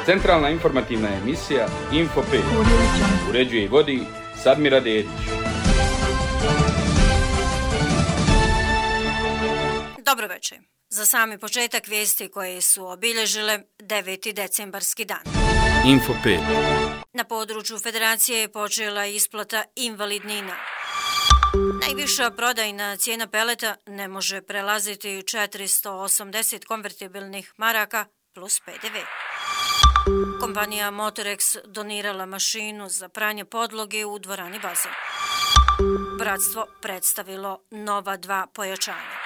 Centralna informativna emisija Info 5. Uređuje i vodi Sadmira Dedić. Dobro večer. Za sami početak vijesti koje su obilježile 9. decembarski dan. Info 5. Na području Federacije je počela isplata invalidnina. Najviša prodajna cijena peleta ne može prelaziti 480 konvertibilnih maraka plus PDV. Kompanija Motorex donirala mašinu za pranje podloge u dvorani Bazen. Bratstvo predstavilo nova 2 pojačanja.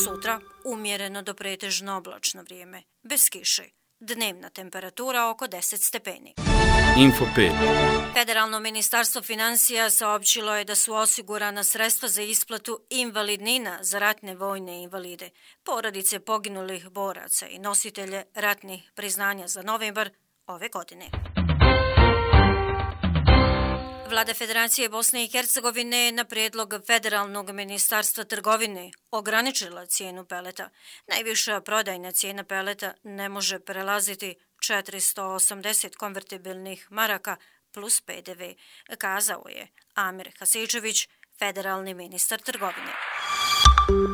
Sutra umjereno do pretežno oblačno vrijeme, bez kiše. Dnevna temperatura oko 10 stepeni. Info 5. Federalno ministarstvo financija saopćilo je da su osigurana sredstva za isplatu invalidnina za ratne vojne invalide, porodice poginulih boraca i nositelje ratnih priznanja za novembar ove godine. Vlada Federacije Bosne i Hercegovine na prijedlog Federalnog ministarstva trgovine ograničila cijenu peleta. Najviša prodajna cijena peleta ne može prelaziti 480 konvertibilnih maraka plus PDV, kazao je Amir Hasičević, federalni ministar trgovine.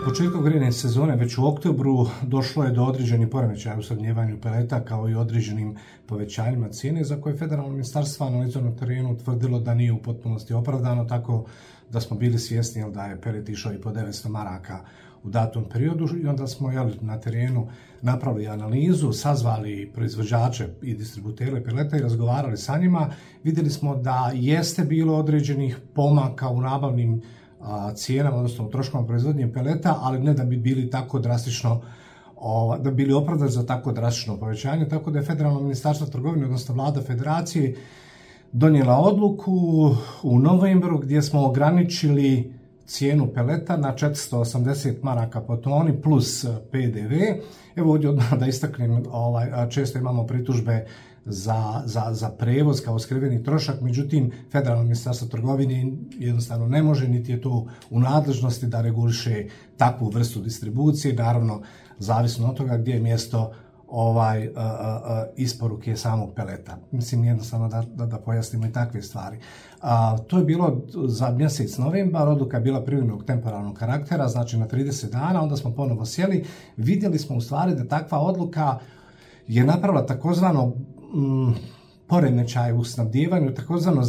Početkom grejne sezone, već u oktobru, došlo je do određenih poremećaja u snabdjevanju peleta kao i određenim povećanjima cijene za koje federalno ministarstvo analizom na terenu utvrdilo da nije u potpunosti opravdano, tako da smo bili svjesni da je pelet išao i po 900 maraka u datom periodu i onda smo na terenu napravili analizu, sazvali proizvođače i distributere peleta i razgovarali sa njima. Vidjeli smo da jeste bilo određenih pomaka u nabavnim cijenama, odnosno u troškovima proizvodnje peleta, ali ne da bi bili tako drastično, da bi bili opravdani za tako drastično povećanje, tako da je Federalno ministarstvo trgovine, odnosno Vlada Federacije, donijela odluku u novembru gdje smo ograničili cijenu peleta na 480 maraka po toni plus PDV. Evo ovdje odmah da istaknem, često imamo pritužbe za prevoz kao skriveni trošak, međutim Federalno ministarstvo trgovine jednostavno ne može, niti je to u nadležnosti da reguliše takvu vrstu distribucije, naravno zavisno od toga gdje je mjesto isporuke samog peleta. Mislim jednostavno da pojasnimo i takve stvari. To je bilo za mjesec novembar, odluka je bila privremenog temporalnog karaktera, znači na 30 dana, onda smo ponovo sjeli, vidjeli smo u stvari da takva odluka je napravila takozvano poremećaj u snabdijevanju, takozvano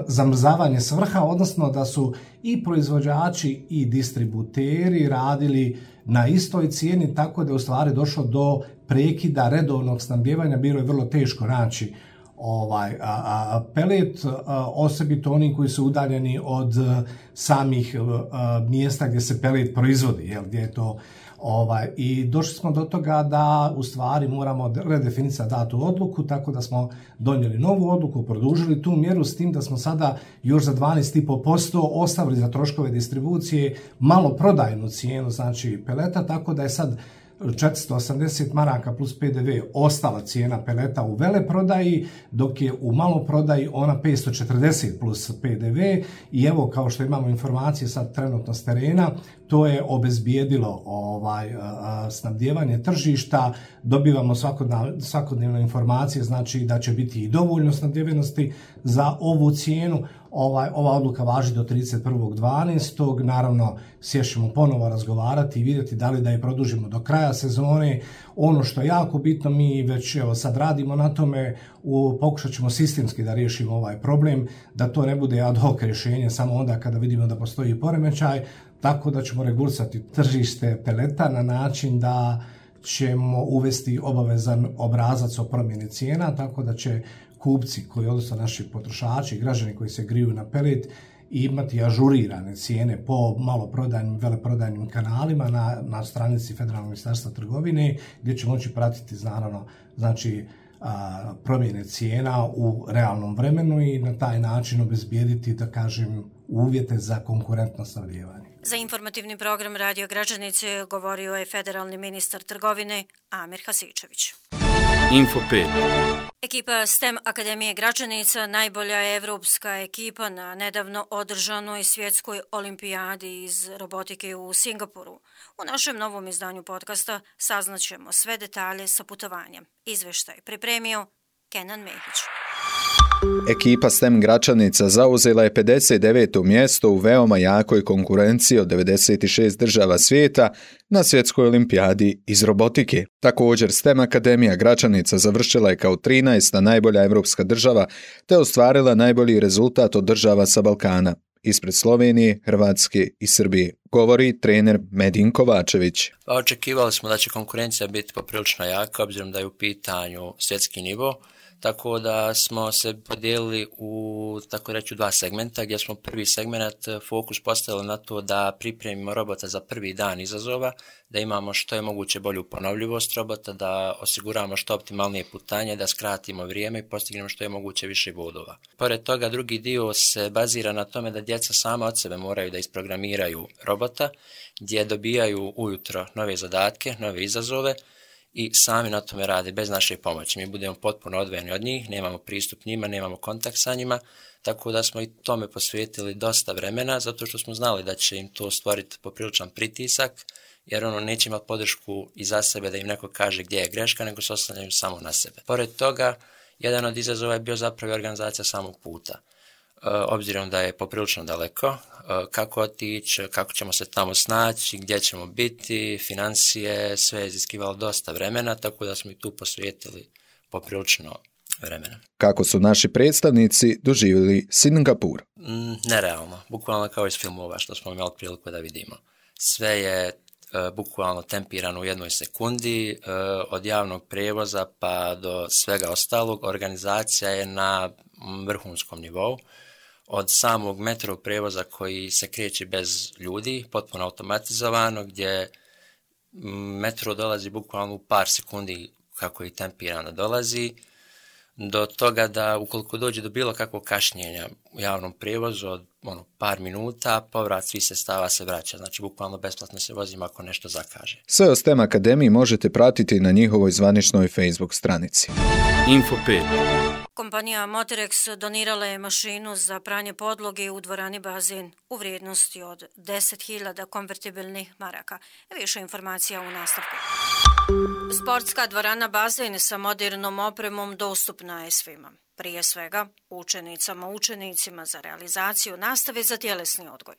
zamrzavanje svrha, odnosno da su i proizvođači i distributeri radili na istoj cijeni, tako da je u stvari došlo do prekida redovnog snabdijevanja, bilo je vrlo teško naći pelet, osobito oni koji su udaljeni od samih mjesta gdje se pelet proizvodi, gdje je to i došli smo do toga da u stvari moramo redefinicati datu odluku, tako da smo donijeli novu odluku, produžili tu mjeru s tim da smo sada još za 12,5% ostavili za troškove distribucije maloprodajnu cijenu, znači peleta, tako da je sad 480 maraka plus PDV ostala cijena peleta u veleprodaji, dok je u maloprodaji ona 540 plus PDV i evo kao što imamo informacije sad trenutno s terena, to je obezbijedilo snabdijevanje tržišta, dobivamo svakodnevne informacije, znači da će biti i dovoljno snabdijevenosti za ovu cijenu. Ova odluka važi do 31.12. Naravno, sješćemo ponovo razgovarati i vidjeti da li da je produžimo do kraja sezone. Ono što je jako bitno, mi već sad radimo na tome, pokušat ćemo sistemski da riješimo ovaj problem, da to ne bude ad hoc rješenje samo onda kada vidimo da postoji poremećaj, tako da ćemo regulisati tržište peleta na način da ćemo uvesti obavezan obrazac o promjeni cijena, tako da će kupci, odnosno naši potrošači, građani koji se griju na pelet, imati ažurirane cijene po maloprodajnim, veleprodajnim kanalima na stranici Federalnog ministarstva trgovine, gdje će moći pratiti naravno, znači promjene cijena u realnom vremenu i na taj način obezbijediti, da kažem, uvjete za konkurentno snabdijevanje. Za informativni program Radio Građanice govorio je federalni ministar trgovine Amir Hasičević. Info5. Ekipa STEM Akademije Gračanica najbolja je evropska ekipa na nedavno održanoj svjetskoj olimpijadi iz robotike u Singapuru. U našem novom izdanju podcasta saznaćemo sve detalje sa putovanjem. Izveštaj pripremio Kenan Mehić. Ekipa STEM Gračanica zauzela je 59. mjesto u veoma jakoj konkurenciji od 96 država svijeta na svjetskoj olimpijadi iz robotike. Također, STEM Akademija Gračanica završila je kao 13. najbolja evropska država te ostvarila najbolji rezultat od država sa Balkana, ispred Slovenije, Hrvatske i Srbije, govori trener Medin Kovačević. Očekivali smo da će konkurencija biti poprilično jaka, obzirom da je u pitanju svjetski nivo. Tako da smo se podijelili u, tako reći, dva segmenta, gdje smo prvi segment fokus postavili na to da pripremimo robota za prvi dan izazova, da imamo što je moguće bolju ponovljivost robota, da osiguramo što optimalnije putanje, da skratimo vrijeme i postignemo što je moguće više bodova. Pored toga, drugi dio se bazira na tome da djeca sama od sebe moraju da isprogramiraju robota, gdje dobijaju ujutro nove zadatke, nove izazove, i sami na tome rade bez naše pomoći. Mi budemo potpuno odvojeni od njih, nemamo pristup njima, nemamo kontakt sa njima, tako da smo i tome posvetili dosta vremena, zato što smo znali da će im to stvoriti popriličan pritisak, jer neće imati podršku iza sebe da im neko kaže gdje je greška, nego se oslanjaju samo na sebe. Pored toga, jedan od izazova je bio zapravo organizacija samog puta. Obzirom da je poprilično daleko, kako otići, kako ćemo se tamo snaći, gdje ćemo biti, financije, sve je iziskivalo dosta vremena, tako da smo i tu posvetili poprilično vremena. Kako su naši predstavnici doživjeli Singapur? Nerealno, bukvalno kao iz filmova što smo imali priliku da vidimo. Sve je bukvalno tempirano u jednoj sekundi, od javnog prijevoza pa do svega ostalog. Organizacija je na vrhunskom nivou. Od samog metro prijevoza koji se kreće bez ljudi, potpuno automatizovano, gdje metro dolazi bukvalno u par sekundi kako i tempirano dolazi, do toga da ukoliko dođe do bilo kakvog kašnjenja u javnom prijevozu od par minuta, povrat svih sredstava se vraća. Znači, bukvalno besplatno se vozimo ako nešto zakaže. Sve o STEM Akademiji možete pratiti na njihovoj zvaničnoj Facebook stranici. Info5. Kompanija Motorex donirala je mašinu za pranje podloge u dvorani Bazen u vrijednosti od 10.000 konvertibilnih maraka. Više informacija u nastavku. Sportska dvorana Bazen sa modernom opremom dostupna je svima. Prije svega, učenicima za realizaciju nastave za tjelesni odgoj.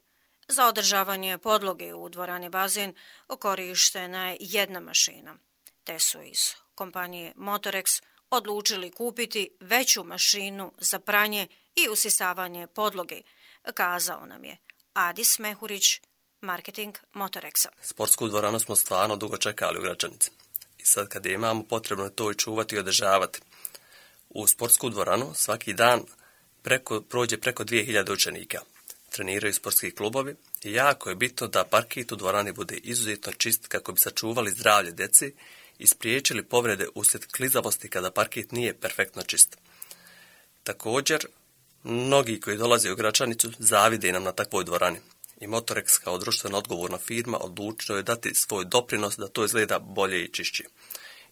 Za održavanje podloge u dvorani Bazen korištena je jedna mašina. Te su iz kompanije Motorex odlučili kupiti veću mašinu za pranje i usisavanje podloge, kazao nam je Adis Mehurić, marketing Motorexa. Sportsku dvoranu smo stvarno dugo čekali u Gračanici. I sad kad je imamo, potrebno je to i čuvati i održavati. U sportsku dvoranu svaki dan prođe preko 2000 učenika. Treniraju sportski klubovi i jako je bitno da parket u dvorani bude izuzetno čist kako bi sačuvali zdravlje djeci i spriječili povrede uslijed klizavosti kada parket nije perfektno čist. Također, mnogi koji dolaze u Gračanicu zavide nam na takvoj dvorani. I Motorex kao društveno odgovorna firma odlučio je dati svoj doprinos da to izgleda bolje i čišće.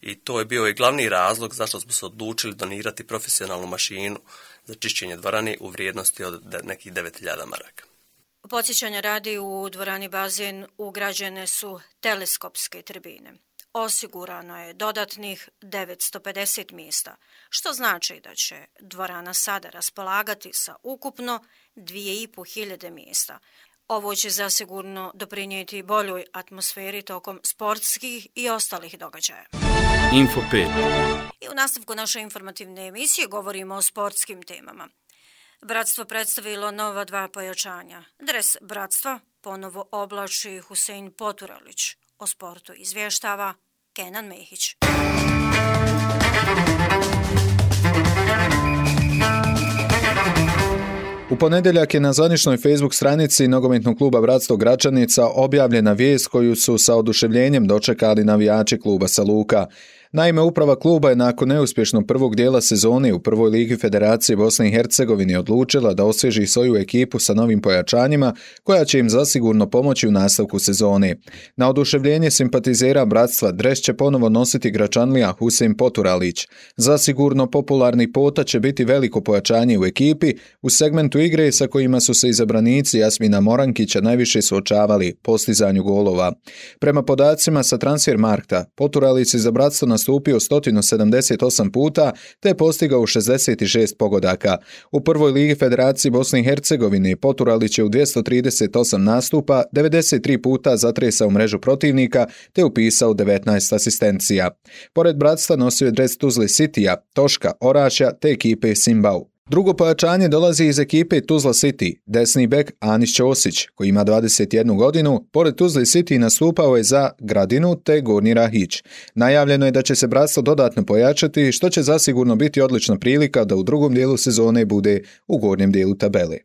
I to je bio i glavni razlog zašto smo se odlučili donirati profesionalnu mašinu za čišćenje dvorane u vrijednosti od nekih 9.000 maraka. Podsjećanja radi, u dvorani Bazen ugrađene su teleskopske tribine. Osigurano je dodatnih 950 mjesta, što znači da će dvorana sada raspolagati sa ukupno 2500 mjesta. Ovo će zasigurno doprinijeti boljoj atmosferi tokom sportskih i ostalih događaja. Info5. I u nastavku naše informativne emisije govorimo o sportskim temama. Bratstvo predstavilo nova 2 pojačanja. Dres Bratstva ponovo oblači Husein Poturalić. O sportu izvještava Kenan Mehić. U ponedjeljak je na zvaničnoj Facebook stranici nogometnog kluba Bratstvo Gračanica objavljena vijest koju su sa oduševljenjem dočekali navijači kluba sa Luka. Naime, uprava kluba je nakon neuspješnog prvog dijela sezone u prvoj ligi Federacije Bosne i Hercegovine odlučila da osvježi svoju ekipu sa novim pojačanjima koja će im zasigurno pomoći u nastavku sezone. Na oduševljenje simpatizera bratstva dres će ponovo nositi Gračanlija Husein Poturalić. Zasigurno popularni Pota će biti veliko pojačanje u ekipi u segmentu igre sa kojima su se izabranici Jasmina Morankića najviše suočavali postizanju golova. Prema podacima sa Transfermarkta, Poturalić je za bratstvo nastupio 178 puta te postigao 66 pogodaka. U prvoj ligi Federacije Bosne i Hercegovine Poturalić je u 238 nastupa 93 puta zatresao mrežu protivnika te upisao 19 asistencija. Pored bratstva nosio je dres Tuzle Citya, Toška, Orašja te ekipe Simbau. Drugo pojačanje dolazi iz ekipe Tuzla City, desni bek Anis Ćosić, koji ima 21 godinu, pored Tuzle City nastupao je za Gradinu te Gornji Rahić. Najavljeno je da će se bratstvo dodatno pojačati, što će zasigurno biti odlična prilika da u drugom dijelu sezone bude u gornjem dijelu tabele.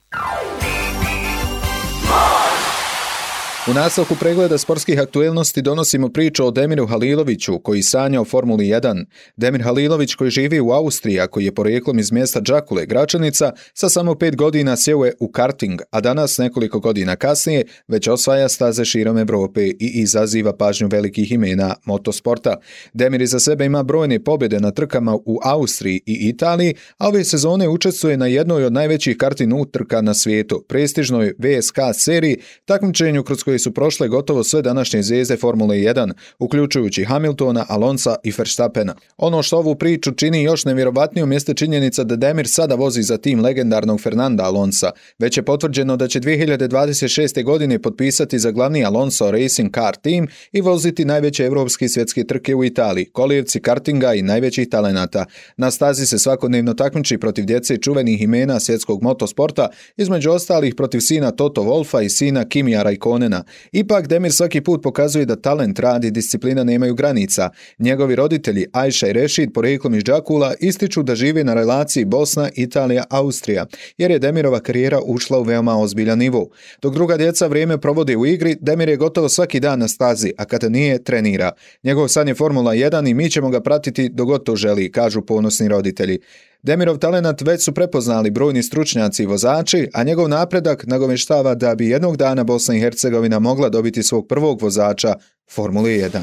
U nastavku pregleda sportskih aktuelnosti donosimo priču o Demiru Haliloviću koji sanja o Formuli 1. Demir Halilović koji živi u Austriji, a koji je porijeklom iz mjesta Đakule, Gračanica, sa samo 5 godina sjeo je u karting, a danas nekoliko godina kasnije već osvaja staze širom Evrope i izaziva pažnju velikih imena motosporta. Demir iza sebe ima brojne pobjede na trkama u Austriji i Italiji, a ove sezone učestvuje na jednoj od najvećih karting utrka na svijetu, prestižnoj VSK seriji, takmičenju kroz koje su prošle gotovo sve današnje zvijezde Formule 1, uključujući Hamiltona, Alonsa i Verstappena. Ono što ovu priču čini još nevjerovatnijom jeste činjenica da Demir sada vozi za tim legendarnog Fernanda Alonsa. Već je potvrđeno da će 2026. godine potpisati za glavni Alonso Racing Car Team i voziti najveće evropske i svjetske trke u Italiji, kolijevci kartinga i najvećih talenata. Na stazi se svakodnevno takmiči protiv djece čuvenih imena svjetskog motosporta, između ostalih protiv sina Toto Wolffa i sina Kimija Raikkonena. Ipak Demir svaki put pokazuje da talent, rad i disciplina nemaju granica. Njegovi roditelji Ajša i Rešid, porijeklom iz Đakula, ističu da žive na relaciji Bosna, Italija, Austrija, jer je Demirova karijera ušla u veoma ozbiljan nivo. Dok druga djeca vrijeme provode u igri, Demir je gotovo svaki dan na stazi, a kada nije, trenira. Njegov san je Formula 1 i mi ćemo ga pratiti dok god to želi, kažu ponosni roditelji. Demirov talenat već su prepoznali brojni stručnjaci i vozači, a njegov napredak nagovještava da bi jednog dana Bosna i Hercegovina mogla dobiti svog prvog vozača Formule 1.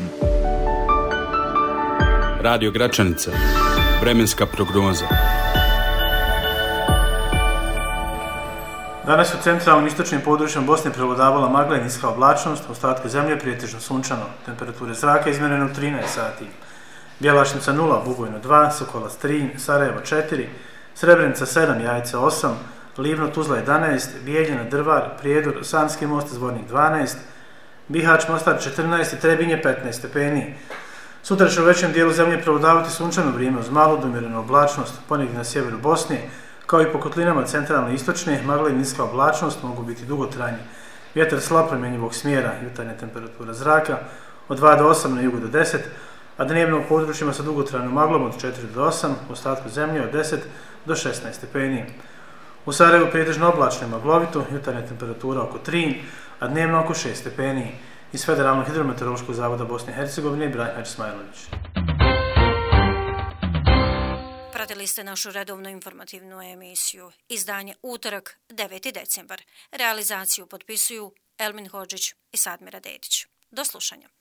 Radio Gračanica. Vremenska prognoza. Danas u centralnom istočnim područjem Bosne prevladavala magla i niska oblačnost, u ostatku zemlje prijetežno sunčano, temperature zraka izmjerene u 13 sati. Bjelašnica 0, Bugojno 2, Sokolac 3, Sarajevo 4, Srebrenica 7, Jajce 8, Livno Tuzla 11, Bijeljina, Drvar, Prijedor, Sanski most, Zvornik 12, Bihać, Mostar 14 i Trebinje 15 stepeni. Sutra će u većem dijelu zemlje prevladavati sunčano vrijeme uz malu do umjerenu oblačnost, ponegdje na sjeveru Bosne, kao i po kotlinama centralne i istočne, magla i niska oblačnost mogu biti dugotrajni. Vjetar slab promjenjivog smjera, jutarnja temperatura zraka od 2 do 8 na jugu do 10, a dnevno u područjima sa dugotrajnom maglom od 4 do 8, u ostatku zemlje od 10 do 16 stepeni. U Sarajevu prijetežno oblačno i maglovito, jutarnja temperatura oko 3, a dnevno oko 6 stepeni. Iz Federalnog hidrometeorološkog zavoda Bosne i Hercegovine, Ibrahim Smajlović. Pratili ste našu redovnu informativnu emisiju. Izdanje utorak, 9. decembar. Realizaciju potpisuju Elmin Hodžić i Sadmira Dedić. Do slušanja.